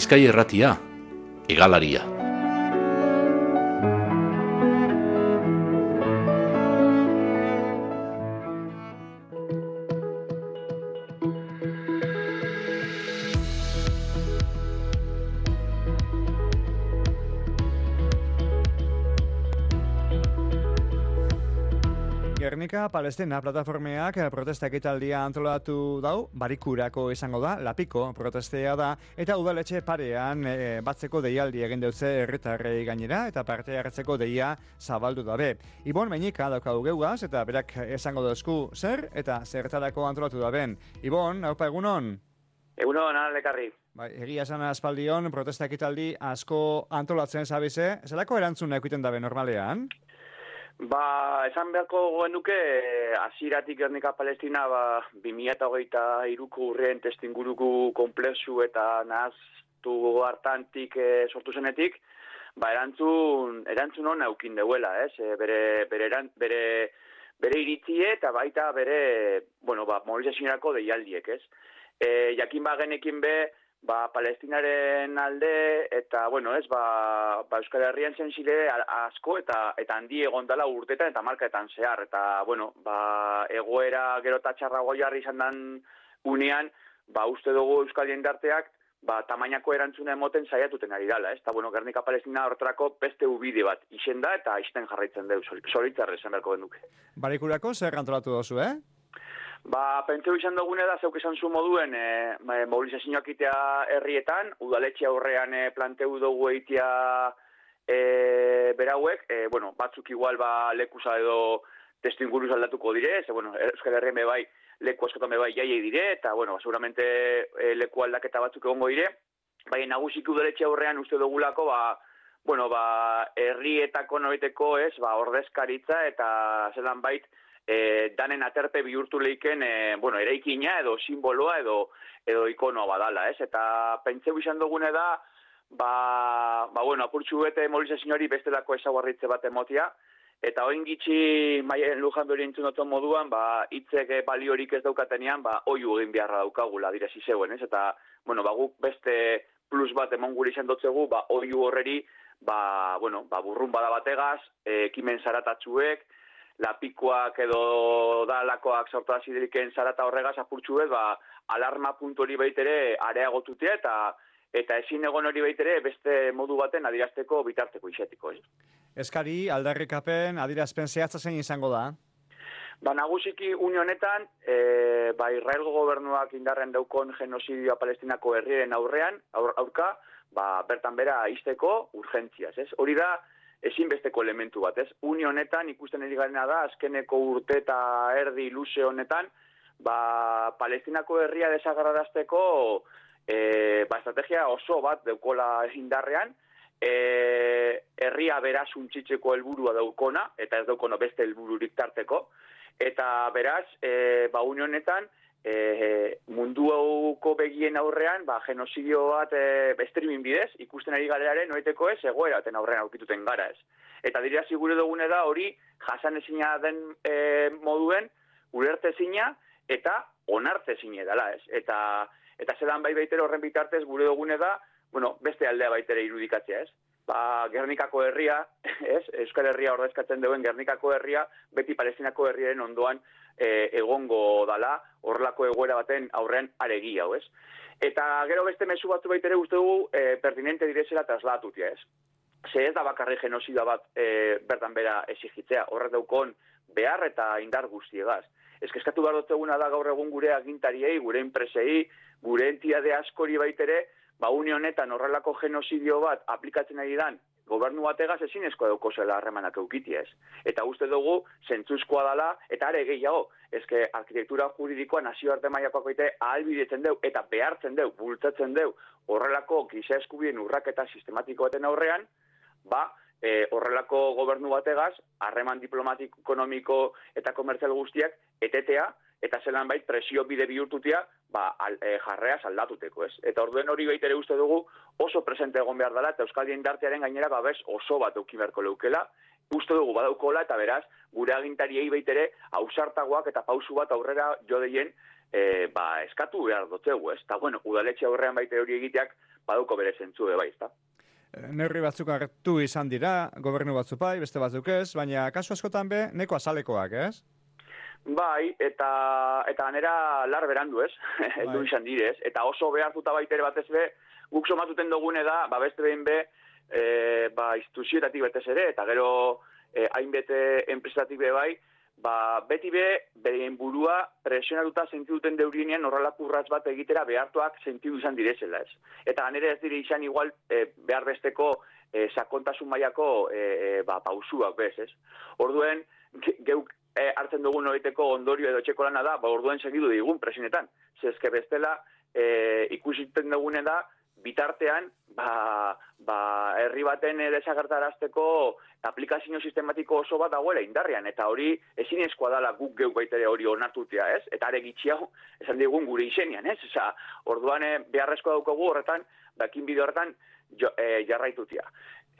Bizkaia Irratia, Hegalaria. Gernika Palestina plataformeak protesta ekitaldia antolatu dau, Barikurako izango da, Lapiko protestea da, eta udaletxe parean batzeko deialdi egin deutze herritarrei gainera, eta parte hartzeko deia zabaldu dabe. Ibon Meñika daukagu geugaz, eta berak esango dozku zer, eta zertarako antolatu daben. Ibon, haupa egunon? Egunon, lekarri. Bai, egia esan aspaldion, protesta ekitaldi asko antolatzen zabize, zelako erantzun ekiten dabe normalean? Esan beharko genuke, hasieratik Gernika Palestina, 2023ko urrien testuinguruko konplexu eta nahaztu hartantik sortu zenetik, erantzun hona eukin deuela, bere iritzie eta baita bere, mobilizazioarako deialdiek, ez? Jakin genekin Palestinaren alde eta, Euskal Herrian zentzile asko eta handi egon dela urtetan eta markaetan zehar. Eta, egoera gero eta txarrago jarri izan den unean, uste dugu Euskal jendarteak, tamainako erantzuna emoten saiatuten ari dela, ez? Eta, Gernika Palestina horretarako beste ubide bat isen da eta isten jarraitzen dugu, zoritzarre esan beharko genuke. Barikurako zer antolatu dozu, Pentseu izan dugune da, zeuk esan zu moduen, mobilizazioak itea herrietan, udaletxe aurrean planteu dugu eitea berauek, batzuk igual lekusa edo testu inguruz aldatuko dire, Euskal Herrien bebai, leku askotan bebai jaiei dire, eta, seguramente leku aldaketa batzuk egongo dire, nagusiki udaletxe aurrean uste dugulako, herrietako noiteko ordezkaritza eta zelan bait, danen aterpe bihurtu leiken, eraikina edo simboloa edo ikonoa badala, ez? Eta pentseu izan dugune da, apurtxu bete mobilizazioari bestelako ezaguarritze bat emotia, eta oin gitxi Maien Lujan beri entzun duten moduan, hitzek baliorik ez daukatenean, oiu egin beharra daukagula direzi zeuen, ez? Eta, guk beste plus bat emon gure izan dotzegu, oiu horreri, burrun bada bategaz, ekimen zaratatxuek, Lapikoak edo dalakoak sortu azideliken zarata horregaz apurtxu bez, alarma puntu hori baitere areagotutea eta ezin egon hori baitere beste modu baten adirazteko bitarteko izatiko. Eskari, aldarrikapen, adirazpen zehatza zein izango da? Nagusiki unionetan, Israelgo gobernuak indarren daukon genozidioa Palestinako herriaren aurka, bertan bera izteko urgentziaz, ez? Hori da, ezinbesteko elementu bat, ez? Une honetan ikusten ari garena da, azkeneko urte eta erdi luze honetan, Palestinako herria desagarrarazteko estrategia oso bat daukola indarrean, herria beraz untxitzeko helburua daukona, eta ez daukona beste helbururik tarteko, eta beraz, une honetan, munduko begien aurrean, genozidio bat streaming bidez, ikusten ari galeraren noeteko ez, egoeraten aurrean aurkituten gara ez. Eta dira zigure dugune da hori jasan ezina den moduen, ulertezina eta onartezina dela ez. Eta zelan baitere horren bitartez gure dugune da, beste aldea baitere irudikatzea ez. Gernikako herria, Euskal Herria ordezkatzen duen Gernikako herria, beti Palestinako herriaren ondoan egongo dala, horrelako egoera baten aurrean aregi hau, ez? Eta gero beste mezu batzu baitere uste dugu pertinente direzela traslatutia, ez? Ze ez da bakarri genozida bat bertan bera exigitzea, horrek daukon behar eta indar guztiegaz. Eskatu behar dutzeguna da gaur egun gure agintariei, gure enpresei, gure entitate askori baitere, une honetan horrelako genozidio bat aplikatzen ari dan gobernu bategaz ezinezkoa daukozela harremanak eukitia ez. Eta uste dugu zentzuzkoa dela, eta are gehiago, arkitektura juridikoa nazioarte mailakoak baite ahalbidetzen deu, eta behartzen deu, bultzatzen deu, horrelako giza eskubideen urraketa sistematiko baten aurrean, horrelako gobernu bategaz, harreman diplomatiko, ekonomiko eta komertzial guztiak etetea, eta zelan bait presio bide bihurtutia jarreaz aldatuteko, ez? Eta orduen hori baitere uste dugu oso presente egon behar dela, eta Euskal jendartearen gainera babes oso bat euki beharko leukela, uste dugu badaukola, eta beraz, gure agintariei baitere ausartagoak eta pausu bat aurrera jo deien eskatu behar dutzegu, ez? Eta, bueno, udaletxe aurrean baita hori egiteak baduko bere zentzu bai, ez da? Neurri batzuk hartu izan dira, gobernu batzuk bai, beste batzuk ez, baina kasu askotan be, neko azalekoak, ez? Bai, eta ganera lar berandu, ez? Heldu izan direz, eta oso behartuta baitere batez be, guk somatuten dugune da, beste behin be, instituzioetatik betez ere, eta gero hainbete enpresatatik be bai, beti be, beren burua presionatuta sentitu duten deurienean horrelako urrats bat egitera behartuak sentitu izan direzela, ez? Eta ganera ez dire izan igual behar besteko sakontasun mailako pausuak bez, ez? Orduen, geuk hartzen dugun horreteko ondorio edo txeko lana da, orduen segidu digun presionetan. Zezke bestela, ikusiten dugune da, bitartean, herri baten desagertarazteko aplikazio sistematiko oso bat dagoela indarrean, eta hori ezinezkoa dela guk geuk baitere hori onartutea, ez? Eta are gitxiago, esan digun gure izenean, ez? Orduan beharrezkoa daukagu horretan, dakin bide horretan jarraitutia.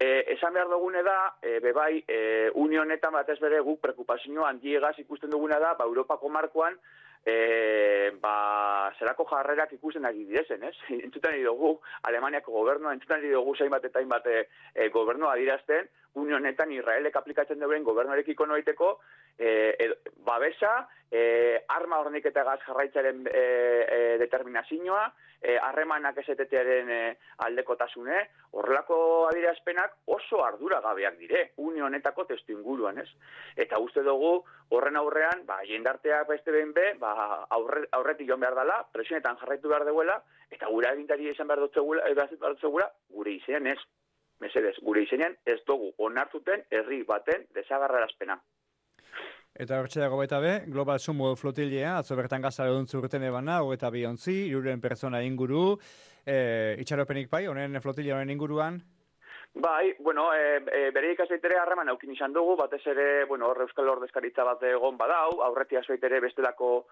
Esan behar dugune da, bebai, unionetan batez bere guk preokupazio handiegaz ikusten duguna da, Europako markoan, zerako jarrerak ikusten ari direzen, ez? Entzutan ari dugu, Alemaniako gobernua, entzutan ari dugu zainbat eta hainbat gobernua adirazten, unionetan Israelek aplikatzen duen gobernuarekiko noiteko, babesa, arma horniketagaz jarraitzaren determinazioa, harremanak esetetearen aldekotasune, horrelako adirazpenak oso arduragabeak dire, unionetako testu inguruan, ez? Eta uste dugu, horren aurrean, jendarteak beste behin be, aurretik joan behar dela, presionetan jarraitu behar duela, eta gure agintari izan behar dutzegula, gure izenean ez. Mesedez, gure izenean ez dugu onartuten herri baten desagarrarazpena. Eta hortxe dago baita be, Global Sumo flotilea, atzo bertan gazara duntzu urten ebana, 22 ontzi, 300 pertsona inguru, itxaropenik bai, honen flotilea honen inguruan? Bai, bueno, bere ikasaitere harreman aukin izan dugu, batez ere, bueno, Euskal Ordezkaritza bat egon badau, aurretia zoitere bestelako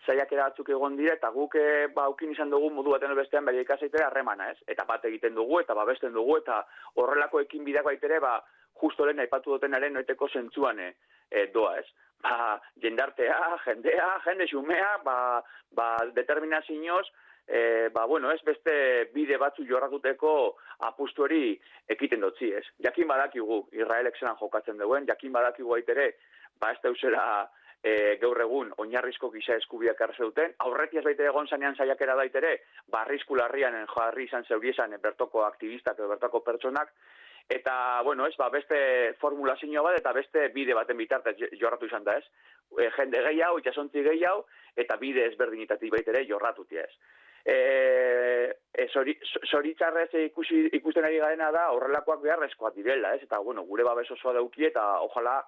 saiakera batzuk egon dira, eta guk aukin izan dugu modu baten bestean bere ikasaitere harremana, ez? Eta bat egiten dugu, eta babesten dugu, eta horrelako ekin bideak baitere, justo lehen aipatu dutenaren noiteko zentzuan doa, ez? Jendartea, jende xumea, determinazioz, ez beste bide batzu jorratuteko apustu hori ekiten dutzi, ez? Jakin badakigu, Israelek zelan jokatzen duen, jakin badakigu baitere, ez dauzela gaur egun oinarrizko giza eskubiak arze duten, aurretiaz baita egon zanean saiakera daitere, arrisku larrian jarri izan zeuriezan bertoko aktivistak edo bertoko pertsonak, eta, beste formulazio bat eta beste bide baten bitartez jorratu izan da, ez? Jende gehiago, itxasontzi gehiago, eta bide ezberdinetatik baitere jorratutia, ez? Zoritzarrez ikusten ari garena da horrelakoak beharrezkoak direla, ez? Eta, gure babes osoa dauki eta ojala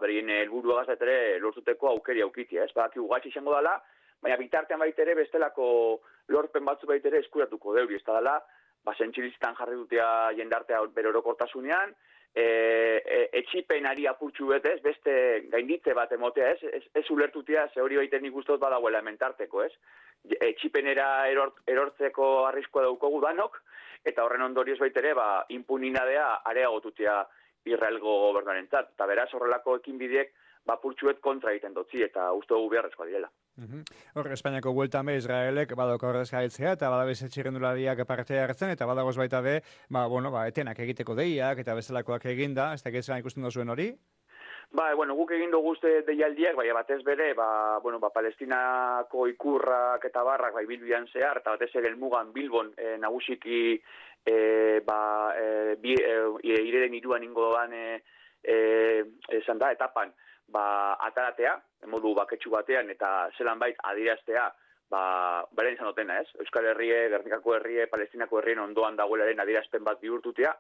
berien helburua gaztetere lortuteko aukeri aukitia, ez? Badaki ugatxe izango dela, baina bitartean baitere bestelako lorpen batzu baitere eskuratuko deuri, ez da dela, zentxilizitan jarri dutea jendartea bere orokortasunean, etxipenari apurtxu betez, beste gainditze bat emotea, ez ulertutea, ze hori baiten ikustot badagoela hementarteko, ez? Etxipenera erortzeko arriskoa daukogu danok, eta horren ondorioz baitere, impuninadea areagotutea Israelgo gobernuarentzat, eta beraz horrelako ekinbideek purtsuet kontra egiten dutzi, eta uste dugu beharrezkoa direla. Hor, Espainiako bueltan be, Israelek badauka ordezkaritzea, eta badagoz txirrendulariak parte hartzen, eta badagoz baita be, etenak egiteko deiak, eta bezalakoak eginda, ez da gezelan ikusten duzuen hori? Guk egin dugu uste deialdiak, batez bere, Palestinako ikurrak eta barrak bilbian zehar, eta batez ere elmugan Bilbon nagusiki ireden iruan ingo doan esan da, etapan, ataratea, modu baketsu batean, eta zelan bait adiraztea, beren izan dutena, ez? Euskal Herrie, Gernikako Herrie, Palestinako Herrien ondoan dagoelaren adirazpen bat bihurtutea.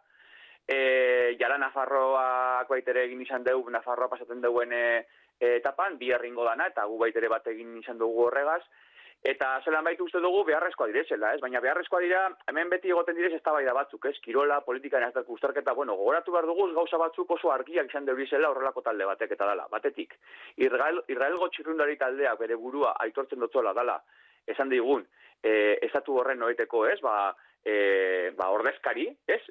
Jara Nafarroak baitere egin izan dugu, Nafarroa pasatzen duen etapan, bi herringo dana, eta gu baitere bat egin izan dugu horregaz, eta zelan baitu uste dugu beharrezkoa direzela, ez? Baina beharrezkoa dira, hemen beti egoten direz eztabaida batzuk, ez? Kirola, politika, uztarketa, gogoratu behar dugu gauza batzuk oso argiak izan deurizela horrelako talde batek eta dala. Batetik, Israelgo txirrundari taldeak bere burua aitortzen dutzola dala, esan digun, estatu horren noeteko, ez? Ordezkari, ez?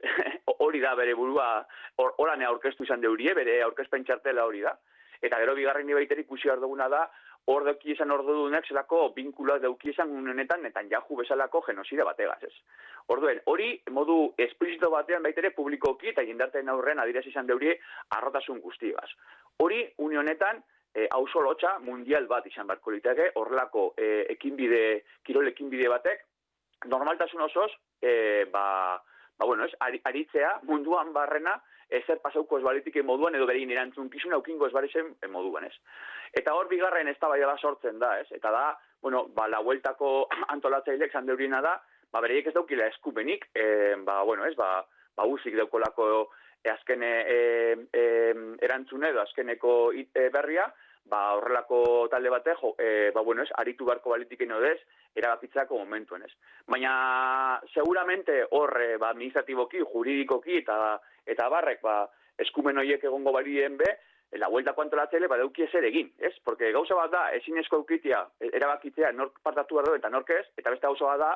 Hori da bere burua, horanea aurkeztu izan deurie, bere aurkezpen txartela hori da. Eta gero bigarren baiteri ikusi behar duguna da, hor dauki esan ordudunak zelako binkuloak dauki esan honetan Netanyahu bezalako genozide bategaz, ez. Orduen, hori modu esplizito batean baitere publikoki eta jendarteen aurren adierazi izan deuri arrotasun guztigaz. Hori, une honetan, auzo lotxa mundial bat izan barko liteke, horrelako kirol ekinbide batek, normaltasun osoz, aritzea munduan barrena, ezer pasauko esbalitik moduan, edo berein erantzunkizun aukingo esbarizen moduan, ez. Eta hor bigarren eztabaida bat sortzen da, ez. Eta da, la hueltako antolatzaileek zandeurina da, bereiek ez daukila eskupenik, uzik daukolako azken erantzune edo azkeneko berria, horrelako talde batek, aritu barko balitiken odez, erabakitzako momentuen, ez. Baina, seguramente hor, administratiboki, juridikoki eta barrek, eskumen horiek egongo balien be, la hueltako antolatzaile badauki ezer egin, ez? Porque gauza bat da, ezinezko eukitia, erabakitzea, nork partatu behar eta nork ez, eta beste gauza bat da,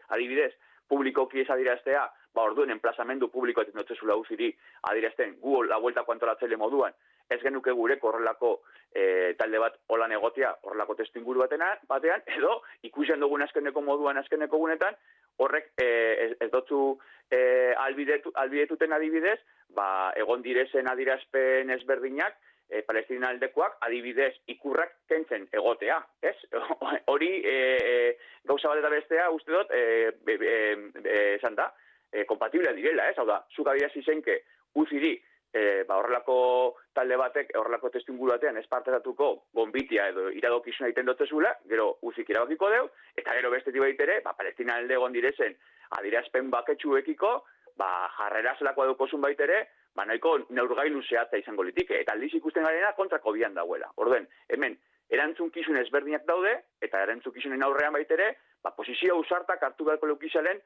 adibidez, publikoki ez adiraztea, orduen enplazamendu publiko eta notzezula uziri adirazten gu la hueltako antolatzaile moduan, ez genuke gureko horrelako talde bat holan egotia, horrelako testu inguru batean, edo ikusen dugun azkeneko moduan, azkeneko gunetan, horrek ez dotzu albidetuten adibidez, egon direzen adirazpen ezberdinak, Palestina aldekoak adibidez ikurrak kentzen egotea, ez? Hori gauza bat eta bestea uste dut, esan da, kompatiblea direla, ez? Hau da, zuk adierazi zenke uziri horrelako talde batek, horrelako testu inguru batean espartezatuko gonbitia edo iradokizuna egiten dutezula, gero uzik irabakiko deu, eta gero bestetik baitere, Palestina alde egon direzen adierazpen baketsuekiko, jarrera zelakoa daukozun baitere, nahiko neurgailu zehatza izango litike, eta aldiz ikusten garena kontrako bian dauela. Orduen, hemen, erantzunkizun ezberdinak daude, eta erantzunkizunen aurrean baitere, posizio ausartak hartu beharko leukizalen,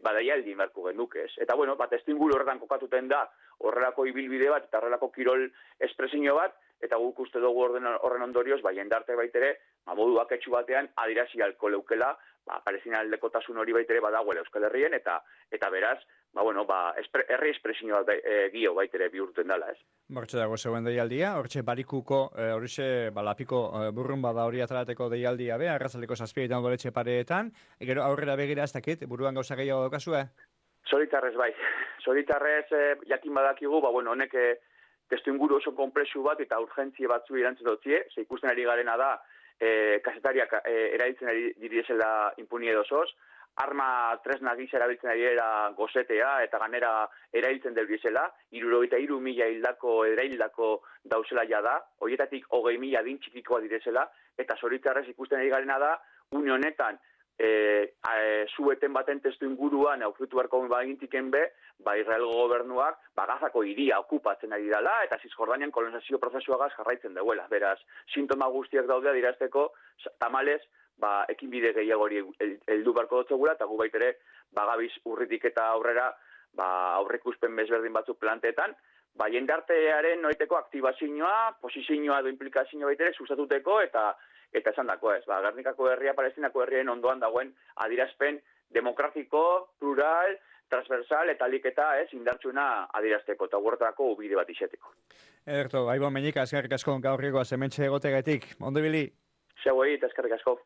badaialdi inbarko genuke ez. Eta testu inguru horretan kokatuten da, horrelako ibilbide bat, eta horrelako kirol espresio bat, eta guk uste dugu horren ondorioz, jendarte baitere, modu baketsu batean, adirazi alko leukela, Palestina aldekotasun hori baitere badagoela Euskal Herrien, eta beraz, herri espresio bat gio baitere bihurtzen dela, ez. Hortxe dago zegoen deialdia, hortxe barikuko, horixe lapiko burrun bada hori atalateko deialdia be, arrazaldeko zazpietan doletxe pareetan, gero aurrera begira ez dakit, buruan gauza gehiago daukazue? Zoritarrez bai, zoritarrez jakin badakigu, honek testu inguru oso konplexu bat eta urgentzie batzu erantzun dutzie, ze ikusten ari garena da, kazetariak erabiltzen ari direzela impunie dozoz, arma tresna gisa erabiltzen ari gozetea eta ganera erabiltzen debilizela, 63.000 hildako eraildako dauzela jada, horietatik 20.000 adin txikikoa direzela, eta zoritarrez ikusten ari garena da, une honetan, zueten baten testu inguruan aurkitu beharko bagintiken be, Israelgo gobernuak Gazako hiria okupatzen ari dela eta Zisjordanian kolonizazio prozesuagaz jarraitzen duela. Beraz, sintoma guztiak daude adirazteko tamalez, ekinbide gehiago hori heldu beharko dutzegula eta gu baitere gabiz urritik eta aurrera aurreikuspen bezberdin batzuk planteetan, jendartearen noiteko aktibazioa, posizioa edo implikazioa baitere sustatuteko eta esan dako ez, Gernikako herria, Palestinako herrien ondoan dagoen adirazpen demokratiko, plural, transversal eta aliketa indartsuna adirazteko eta guretarako ubide bat izeteko. Ederto, Aibon Meñika, eskerrik asko gaurrikoa zementxe egotegatik. Ondo ibili? Zeuei eta eskerrik asko.